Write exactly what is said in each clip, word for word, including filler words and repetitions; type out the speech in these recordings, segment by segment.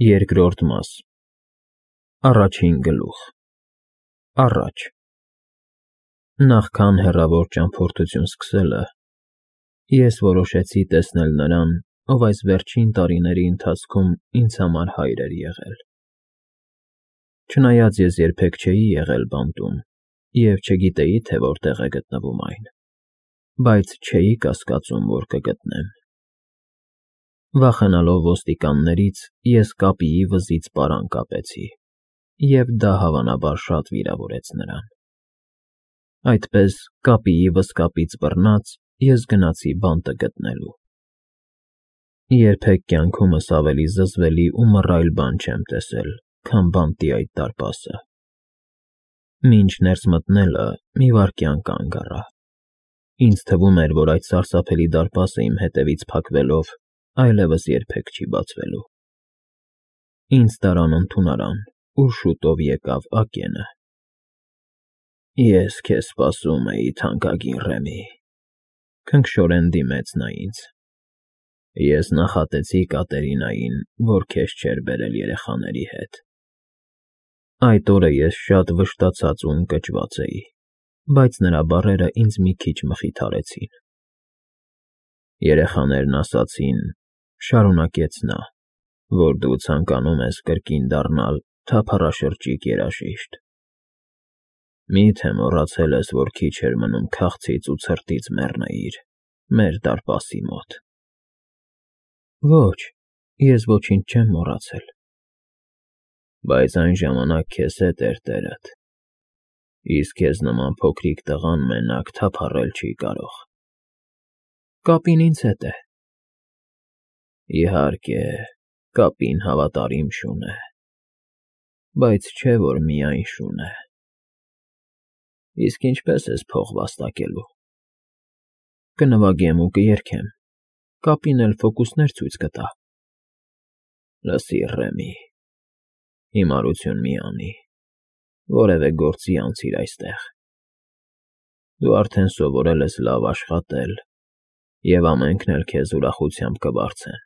Երկրորդ մաս Առաջին գլուխ Առաջ Նախքան հեռավոր ճամփորդություն սկսելը, ես որոշեցի տեսնել նրան, ով այս վերջին տարիների ընթացքում ինձ համար հայր էր եղել։ Չնայած ես երբեք չէի եղել բանտում և չգիտեի, թե որտեղ է գտնվում այն, բայց չէի կասկածում, որ կգտնեմ։ Վախենալով ոստիկաններից, ես կապիի վզից պարան կապեցի, և դա հավանաբար շատ վիրավորեց նրան։ Այդպես, կապիի վզկապից բռնած, ես գնացի բանտը գտնելու։ Երբեք կյանքումս ավելի զզվելի ու մռայլ բան չեմ տեսել, քան բանտի այդ դարպասը։ Մինչ ներս մտնելը մի վայրկյան կանգ առա։ Ինձ թվում էր, որ այդ սարսափելի դարպասը իմ հետևից փակվելով այլևս երբեք չի բացվելու։ Ինձ տարան ընդունարան, ուր շուտով եկավ Ակենը։ Ես քեզ սպասում էի, թանկագին Ռեմի,֊ քնքշորեն դիմեց նա ինձ։ Ես նախատեցի Կատերինային, որ քեզ չէր բերել երեխաների հետ։ Այդ օրը ես շատ վշտացած ու ընկճված էի, բայց նրա բառերը ինձ մի քիչ մխիթարեցին։ Երեխաներն ասացին,֊ շարունակեց նա,֊ որ դու ցանկանում ես կրկին դառնալ թափառաշրջիկ երաժիշտ։ Մի՞թե մոռացել ես, որ քիչ էր մնում քաղցից ու ցրտից մեռնեիր մեր դարպասի մոտ։ Ոչ, ես ոչինչ չեմ մոռացել։ Բայց այն ժամանակ քեզ հետ էր տերդ, իսկ քեզ նման փոքրիկ տղան մենակ թափառել չի կարող։ Կապին ինձ հետ է։ Իհարկե, կապին հավատարիմ շուն է, բայց չէ, որ միայն շուն է։ Իսկ ինչպե՞ս ես փող վաստակելու։ Կնվագեմ ու կերգեմ, կապին էլ ֆոկուսներ ցույց կտա։ Լսիր, Ռեմի, հիմարություն մի անի, որևէ գործի անցիր այստեղ։ Դու արդեն սովորել ես լավ աշխատել, և ամենքն էլ քեզ ուրախությամբ կվարձեն,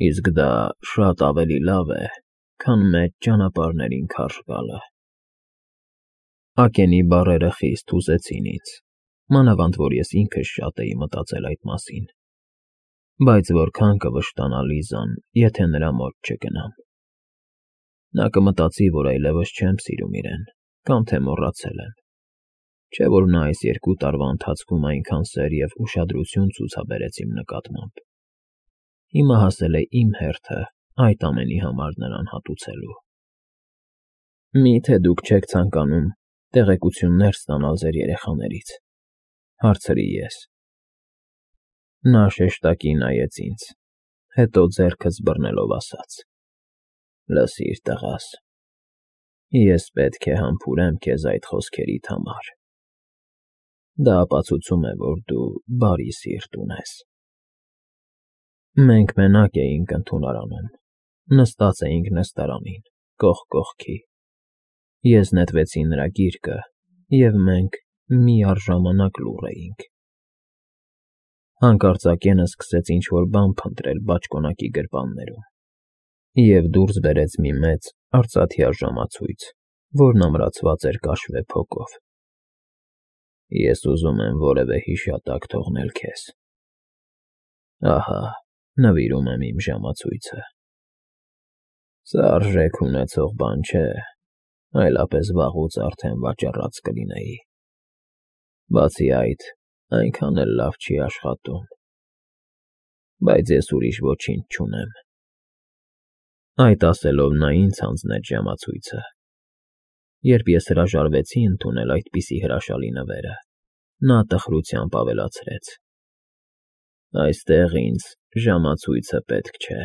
իսկ դա շատ ավելի լավ է, քան մեծ ճանապարհներին քարշ գալը։ Ակենի բառերը խիստ հուզեցին ինձ, մանավանդ որ ես ինքս շատ էի մտածել այդ մասին, բայց որքան կվշտանա Լիզան, եթե նրա մոտ չգնամ։ Նա կմտածի, որ այլևս չեմ սիրում իրեն, կամ թե մոռացել եմ, չէ՞ որ նա այս երկու տարվա ընթացքում այնքան սեր և ուշադրություն ցուցաբերեց իմ նկատմամբ։ Հիմա հասել է իմ հերթը այդ ամենի համար նրան հատուցելու։ Մի՞թե դուք չեք ցանկանում տեղեկություններ ստանալ ձեր երեխաներից,֊ հարցրի ես։ Նա շեշտակի նայեց ինձ, հետո ձեռքս բռնելով ասաց. Լսիր, տղաս, ես պետք է համբուրեմ քեզ այդ խոսքերիդ համար։ Դա ապացուցում է, որ դու բարի սիրտ ունես։ Մենք մենակ էինք ընդունարանում, նստած էինք նստարանին, կողք կողքի։ Ես նետվեցի նրա գիրկը, և մենք միառժամանակ լուռ էինք։ Հանկարծ Ակենը սկսեց ինչ֊որ բան փնտրել բաճկոնակի գրպաններում և դուրս բերեց մի մեծ արծաթյա ժամացույց, որն ամրացված էր կաշվե փոկով։ Ես ուզում եմ որևէ հիշատակ թողնել քեզ։ Ահա, նվիրում եմ իմ ժամացույցը։ Սա արժեք ունեցող բան չէ, այլապես վաղուց արդեն վաճառած կլինեի։ Բացի այդ, այնքան էլ լավ չի աշխատում։ Բայց ես ուրիշ ոչինչ չունեմ։ Այդ ասելով նա ինձ հանձնեց ժամացույցը։ Երբ ես հրաժարվեցի ընդունել այդպիսի հրաշալի նվերը, նա տխրությամբ ավելացրեց. Այստեղ ինձ ժամացույցը պետք չէ։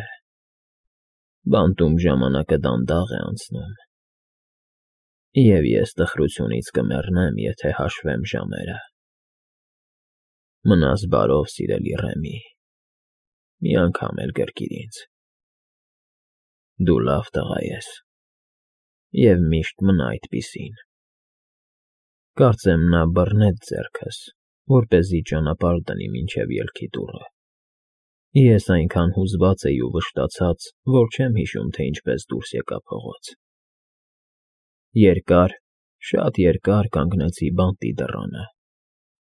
Բանտում ժամանակը դանդաղ է անցնում, և ես տխրությունից կմեռնեմ, եթե հաշվեմ ժամերը։ Մնաս բարով, սիրելի Ռեմի, մի անգամ էլ գրկիր ինձ։ Դու լավ տղա ես, և միշտ մնա այդպիսին։ Կարծեմ նա բռնեց ձեռքս, որպեսզի ճանապարհ դնի մինչև ելքի դուռը։ Ես այնքան հուզված էի ու վշտացած, որ չեմ հիշում, թե ինչպես դուրս եկա փողոց. Երկար, շատ երկար կանգնեցի բանտի դռանը,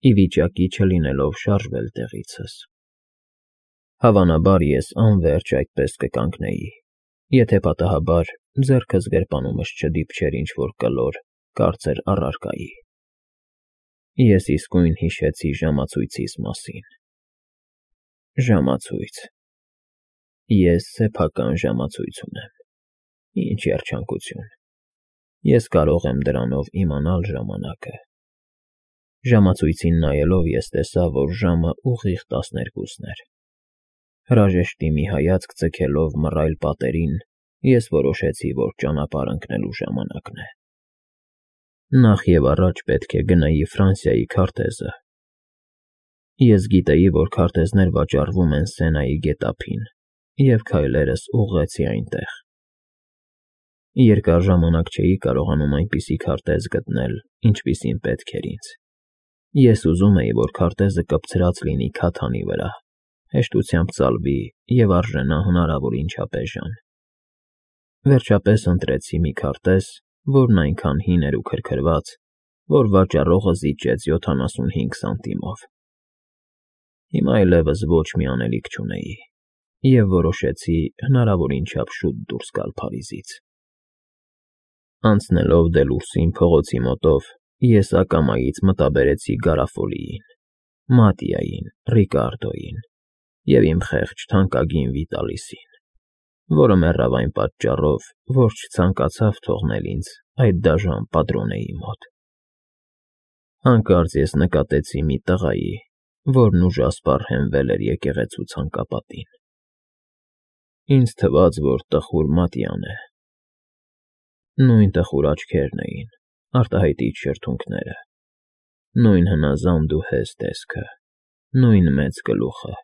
ի վիճակի չլինելով շարժվել տեղիցս։ Հավանաբար ես անվերջ այդպես կկանգնեի, եթե պատահաբար ձեռքս գրպանումս չդիպչեր ինչ-որ կլոր, կարծր առարկայի։ Ես իսկույն հիշեցի ժամացույցիս մասին։ Ժամացույց… Ես սեփական ժամացույց ունեմ։ Ինչ երջանկություն… Ես կարող եմ դրանով իմանալ ժամանակը։ Ժամացույցին նայելով ես տեսա, որ ժամը ուղիղ տասներկուսն էր։ Հրաժեշտի մի հայացք ձգելով մռայլ պատերին, ես որոշեցի, որ ճանապարհ ընկնելու ժամանակն է։ Նախ և առաջ պետք է գնայի Ֆրանսիայի քարտեզը։ Ես գիտեի, որ քարտեզներ վաճառվում են Սենայի գետափին, և քայլերս ուղղեցի այնտեղ։ Երկար ժամանակ չէի կարողանում այնպիսի քարտեզ գտնել, ինչպիսին պետք էր ինձ։ Ես ուզում էի, որ քարտեզը կպցրած լինի քաթանի վրա, հեշտությամբ ծալվի և արժենա հնարավորին չափ ժան։ Վերջապես ընտրեցի մի քարտեզ, որն այնքան հին էր ու քրքրված, որ վաճառողը զիջեց յոթանասունհինգ սանտիմով։ Հիմա այլևս ոչ մի անելիք չունեի, և որոշեցի հնարավորին չափ շուտ դուրս գալ Փարիզից։ Անցնելով Դելուրսին փողոցի մոտով, ես ակամայից մտաբերեցի Գարաֆոլիին, Մատիային, Ռիկարդոյին և իմ խեղճ թանկագին Վիտալիսին, որը մեռավ այն պատճառով, որ չցանկացավ թողնել ինձ այդ դաժան պատրոնեի մոտ։ Հանկարծ ես նկատեցի մի տղայի, որն ուժասպառ հենվել էր եկեղեցու ցանկապատին։ Ինձ թվաց, որ տխուր Մատյան է։ Նույն տխուր աչքերն էին, արտահայտիչ շրթունքները, նույն հնազանդ ու հեզ տեսքը, նույն մեծ գլուխը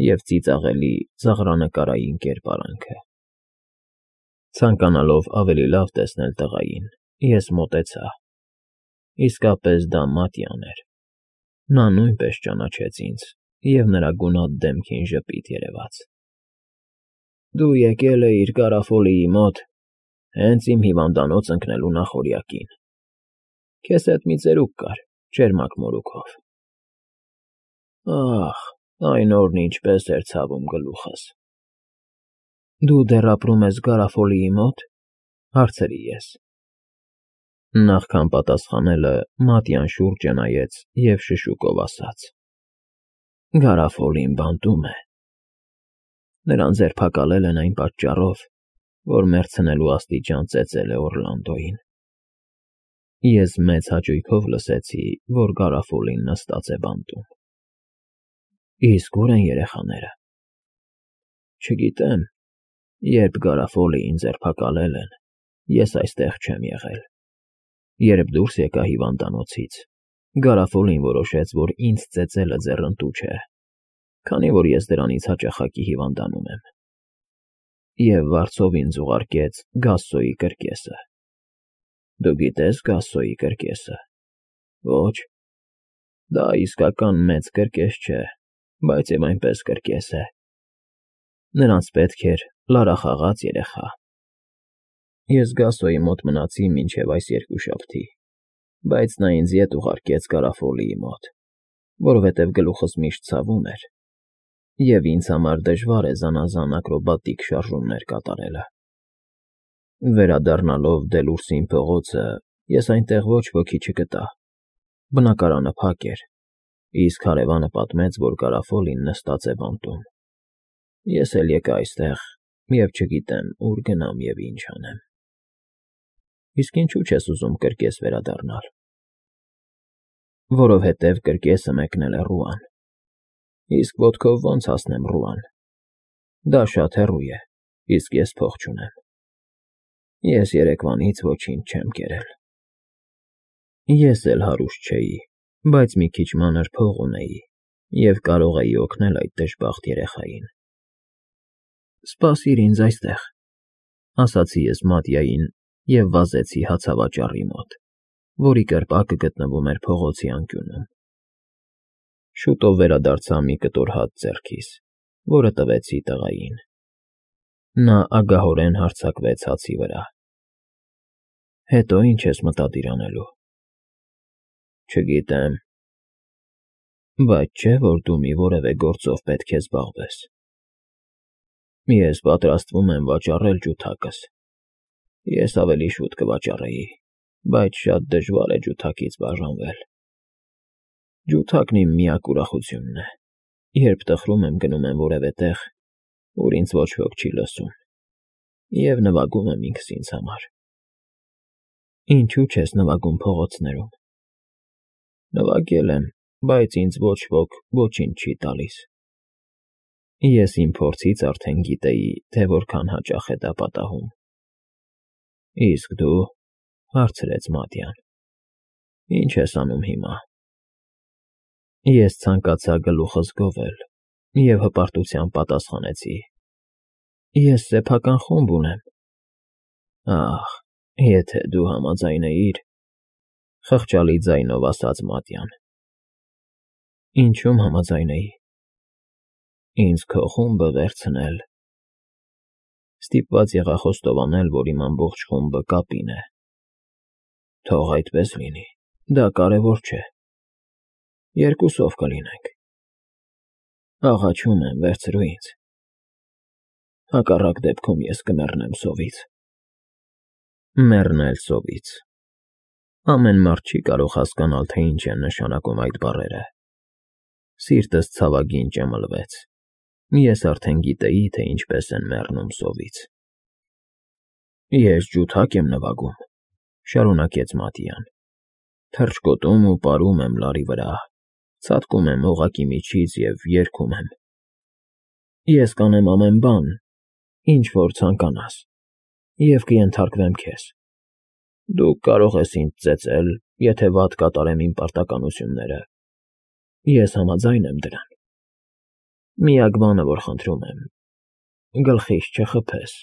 և ծիծաղելի ծաղրանկարային կերպարանքը։ Ցանկանալով ավելի լավ տեսնել տղային, ես մոտեցա։ Իսկապես դա Մատյան էր։ Նա նույնպես ճանաչեց ինձ, և նրա գունատ դեմքին ժպիտ երևաց։ ֊ Դու եկել էիր Գարաֆոլիի մոտ հենց իմ հիվանդանոց ընկնելու նախօրյակին… Քեզ հետ մի ծերուկ կար, ճերմակ մորուքով… Ախ, այն օրն ինչպես էր ցավում գլուխս… ֊ Դու դեռ ապրում ես Գարաֆոլիի մո՞տ,֊ հարցրի ես։ Նախքան պատասխանելը Մատյան շուրջը նայեց և շշուկով ասաց. Գարաֆոլին բանտում է… Նրան ձերբակալել են այն պատճառով, որ մեռցնելու աստիճան ծեծել է Օռլանդոյին։ Ես մեծ հաճույքով լսեցի, որ Գարաֆոլին նստած է բանտում։ ֊ Իսկ ո՞ւր են երեխաները։ ֊ Չգիտեմ, երբ Գարաֆոլիին ձերբակալել են, ես այստեղ չեմ եղել։ Երբ դուրս եկա հիվանդանոցից, Գարաֆոլին որոշեց, որ ինձ ծեծելը ձեռնտու չէ, քանի որ ես դրանից հաճախակի հիվանդանում եմ, և վարձով ինձ ուղարկեց Գասսոյի կրկեսը։ Դու գիտե՞ս Գասսոյի կրկեսը։ Ոչ։ Դա իսկական մեծ կրկես չէ, բայց և այնպես կրկես է։ Նրանց պետք էր լարախաղաց երեխա։ Ես Գասսոյի մոտ մնացի մինչև այս երկուշաբթի, բայց նա ինձ ետ ուղարկեց Գարաֆոլիի մոտ, որովհետև գլուխս միշտ ցավում էր, և ինձ համար դժվար է զանազան ակրոբատիկ շարժումներ կատարելը։ Վերադառնալով Դելուրսին փողոցը, ես այնտեղ ոչ ոքի չգտա։ Բնակարանը փակ էր, իսկ հարևանը պատմեց, որ Գարաֆոլին նստած է բանտում։ Ես էլ եկա այստեղ և չգիտեմ ուր գնամ և ինչ անեմ։ Իսկ ինչու՞ չես ուզում կրկես վերադառնալ։ Որովհետև կրկեսը մեկնել է Ռուան։ Իսկ ոտքով ո՞նց հասնեմ Ռուան։ Դա շատ հեռու է, իսկ ես փող չունեմ։ Ես երեկվանից ոչինչ չեմ կերել։ Ես էլ հարուստ չէի, բայց մի քիչ մանր փող ունեի և կարող էի օգնել այդ դժբախտ երեխային։ Սպասիր ինձ այստեղ, ֊ ասացի ես Մատյային և վազեցի հացավաճառի մոտ, որի կրպակը գտնվում էր փողոցի անկյունում։ Շուտով վերադարձա մի կտոր հաց ձեռքիս որը տվեցի տղային։ Նա ագահորեն հարձակվեց հացի վրա։ Հետո ինչ ես մտադիր անելու։ Չգիտեմ։ Բայց չէ, որ դու մի որևէ գործով պետք է զբաղվես։ Ես պատրաստվում եմ վաճառել ջութակս։ Ես ավելի շուտ կվաճառեի, բայց շատ դժվար է ջութակից բաժանվել։ Ջութակն իմ միակ ուրախությունն է, երբ տխրում եմ գնում եմ որևէ տեղ, ուր ինձ ոչ ոք չի լսում, և նվագում եմ ինքս ինձ համար։ Ինչու չես նվագում փողոցներում։ Նվագել եմ, բայց ինձ ոչ ոք ոչինչ չի տալիս։ Ես իմ փորձից արդեն գիտեի, թե որքան հաճախ է դա պատահում։ Իսկ դու, հարցրեց Մատյան, ինչ ես անում հիմա։ Ես ցանկացա գլուխս գովել և հպարտությամբ պատասխանեցի. Ես սեփական խումբ ունեմ։ Ահ, եթե դու համաձայնեիր, խղճալի ձայնով ասաց Մատյան։ Ինչում համաձայնեի։ Ինձ քո խումբը վերցնել։ Ստիպված եղա խոստովանել, որ իմ ամբողջ խումբը կապին է։ Թող այդպես լինի, դա կարևոր չէ։ Երկուսով կլինենք։ Աղաչում եմ, վերցրու ինձ։ Հակառակ դեպքում ես կմեռնեմ սովից։ Մեռնել սովից։ Ամեն մարդ չի կարող հասկանալ, թե ինչ են նշանակում այդ բառերը։ Սիրտս ցավագին ճմլվեց։ Ես արդեն գիտեի, թե ինչպես են մեռնում սովից։ Ես ջութակ եմ նվագում, շարունակեց Մատյան։ Թռչկոտում ու պարում եմ լարի վրա, ցատկում եմ օղակի միջից և երգում եմ։ Ես կանեմ ամեն բան, ինչ որ ցանկանաս, և կենթարկվեմ քեզ։ Դու կարող ես ինձ ծեծել, եթե վատ կատարեմ իմ պարտականությունները։ Ես համաձայն եմ դրան։ Միակ բանը, որ խնդրում եմ, գլխիս չխփես,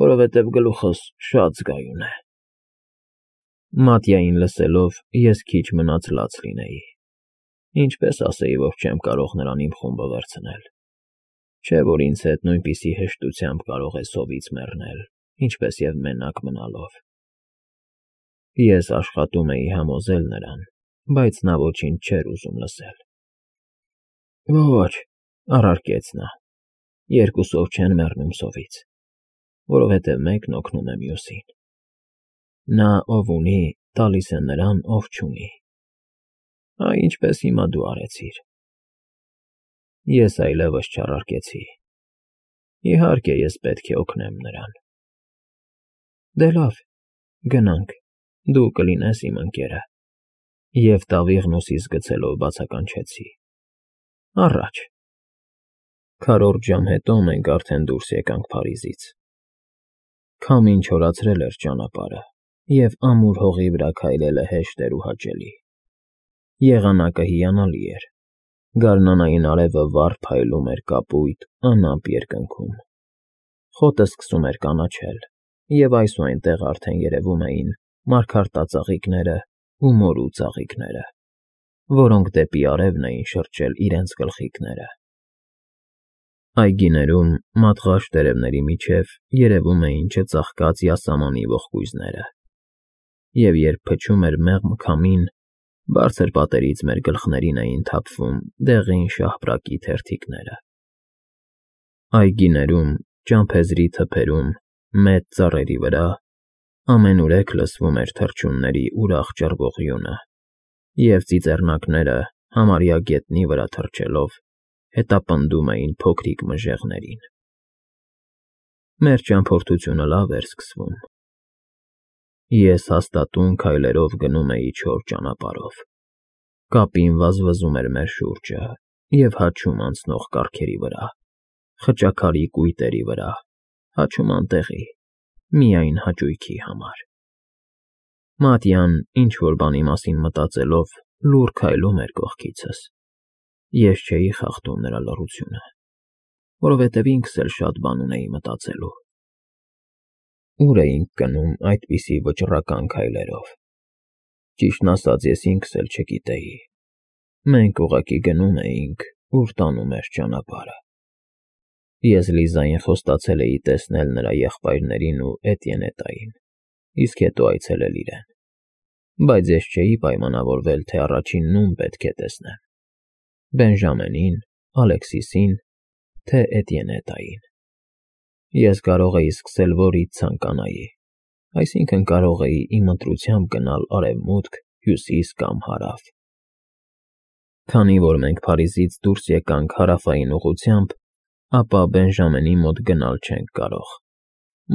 որովհետև գլուխս շատ զգայուն է։ Մատյային լսելով, ես քիչ մնաց լաց լինեի։ Ինչպես ասեի, որ չեմ կարող նրան իմ խումբը վերցնել։ Չէ, որ ինձ հետ նույնպիսի հեշտությամբ կարող է սովից մեռնել, ինչպես և մենակ մնալով։ Ես աշխատում էի համոզել նրան, բայց նա ոչինչ չէր ուզում լսել։ Ոչ, առարկեց նա, երկուսով չեն մեռնում սովից, որովհետև մեկն օգնում է մյուսին։ Նա, ով ունի, տալիս է նրան, ով չունի։ Այ ինչպես հիմա դու արեցիր։ Ես այլևս չառարկեցի։ Իհարկե, ես պետք է օգնեմ նրան։ Դե լավ, գնանք, դու կլինես իմ ընկերը։ Եվ տավիղն ուսիս գցելով բացականչեցի. Առաջ։ Քառորդ ժամ հետո մենք արդեն դուրս եկանք Փարիզից։ Քամին չորացրել էր ճանապարհը, և ամուր հողի վրա քայլելը հեշտ էր ու հաճելի։ Եղանակը հիանալի էր։ Գարնանային արևը վառ փայլում էր կապույտ, անամպ երկնքում։ Խոտը սկսում էր կանաչել, և այս ու այնտեղ արդեն երևում էին մարգարտածաղիկները ու մորու ծաղիկները, որոնք դեպի արևն էին շրջել իրենց գլխիկները։ Այգիներում, մատղաշ տերևների միջև երևում էին չծաղկած յասամանի ողկույզները, և երբ փչում էր մեղմ քամին, բարձր պատերից մեր գլխներին էին թափվում դեղին շահպրակի թերթիկները։ Այգիներում, ճամփեզրի թփերում, մեծ ծառերի վրա ամենուրեք լսվում էր թռչունների ուրախ ճռվողյունը, և ծիծեռնակները, համարյա գետնի վրա թռչելով, հետապնդում էին փոքրիկ մժեղներին։ Մեր ճամփորդությունը լավ էր սկսվում։ Ես հաստատուն քայլերով գնում էի չոր ճանապարհով։ Կապին վազվզում էր մեր շուրջը և հաչում անցնող կառքերի վրա, խճաքարի կույտերի վրա, հաչում անտեղի, միայն հաճույքի համար։ Մատյան, ինչ-որ բանի մասին մտածելով, լուռ քայլում էր կողքիցս։ Ես չէի խախտում նրա լռությունը, որովհետև ինքս էլ շատ բան ունեի մտածելու։ Ուր էինք գնում այդպիսի վճռական քայլերով։ Ճիշտն ասած, ես ինքս էլ չգիտեի։ Մենք ուղղակի գնում էինք, ուր տանում էր ճանապարհը։ Ես Լիզային խոստացել էի տեսնել նրա եղբայրներին ու Էտիենետային, իսկ հետո այցելել իրեն, բայց ես չէի պայմանավորվել, թե առաջին ում պետք է տեսնեմ. Բենժամենին, Ալեքսիսին, թե Էտիենետային։ Ես կարող էի սկսել որից ցանկանայի, այսինքն կարող էի իմ ընտրությամբ գնալ արևմուտք, հյուսիս կամ հարավ։ Քանի որ մենք Փարիզից դուրս եկանք հարավային ուղղությամբ, ապա Բենժամենի մոտ գնալ չենք կարող,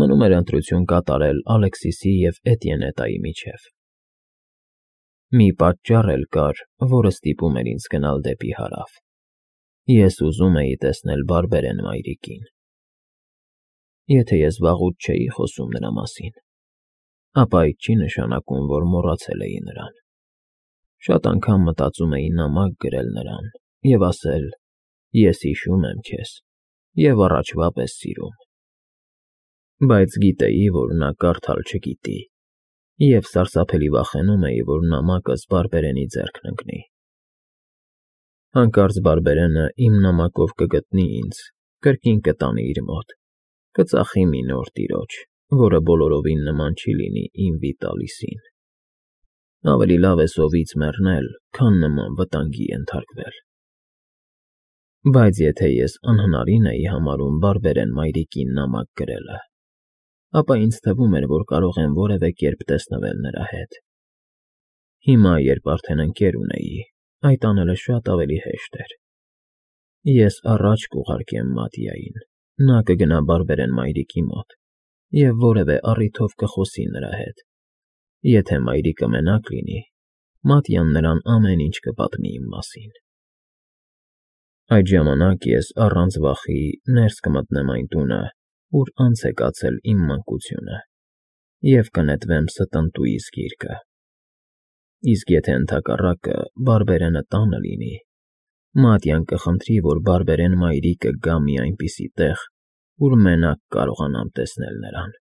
մնում էր ընտրություն կատարել Ալեքսիսի և Էտիենետայի միջև։ Մի պատճառ էլ կար, որը ստիպում էր ինձ գնալ դեպի հարավ. ես ուզում էի տեսնել բարբերեն մայրիկին։ Եթե ես վաղուց չէի խոսում նրա մասին, ապա այդ չի նշանակում, որ մոռացել էի նրան։ Շատ անգամ մտածում էի նամակ գրել նրան և ասել. «Ես հիշում եմ քեզ և առաջվա պես սիրում»։ Բայց գիտեի, որ նա կարդալ չգիտի, և սարսափելի վախենում էի, որ նամակս բարբերենի ձեռքն ընկնի։ Հանկարծ բարբերենը իմ նամակով կգտնի ինձ, կրկին կտանի իր մոտ, կծախի մի նոր տիրոջ, որը բոլորովին նման չի լինի իմ Վիտալիսին։ Ավելի լավ է սովից մեռնել, քան նման վտանգի ենթարկվել։ Բայց եթե ես անհնարին էի համարում բարբերեն մայրիկին նամակ գրելը, ապա ինձ թվում էր, որ կարող եմ որևէ կերպ տեսնվել նրա հետ։ Հիմա, երբ արդեն ընկեր ունեի, այդ անելը շատ ավելի հեշտ էր։ Ես առաջ կուղարկեմ Մատիային, նա կգնա բարբերեն մայրիկի մոտ և որևէ առիթով կխոսի նրա հետ։ Եթե մայրիկը մենակ լինի, Մատիան նրան ամեն ինչ կպատմի իմ մասին։ Այդ ժամանակ ես առանց վախի ներս կմտնեմ այն տունը, ուր անց է կացել իմ մանկությունը, և կնետվեմ ստընտուիս գիրկը։ Իսկ եթե ընդհակառակը բարբերենը տանը լինի, Մատիան կխնդրի, որ բարբերեն մայրիկը գա մի այնպիսի տեղ, ուր մենակ կարողանամ տեսնել նրան։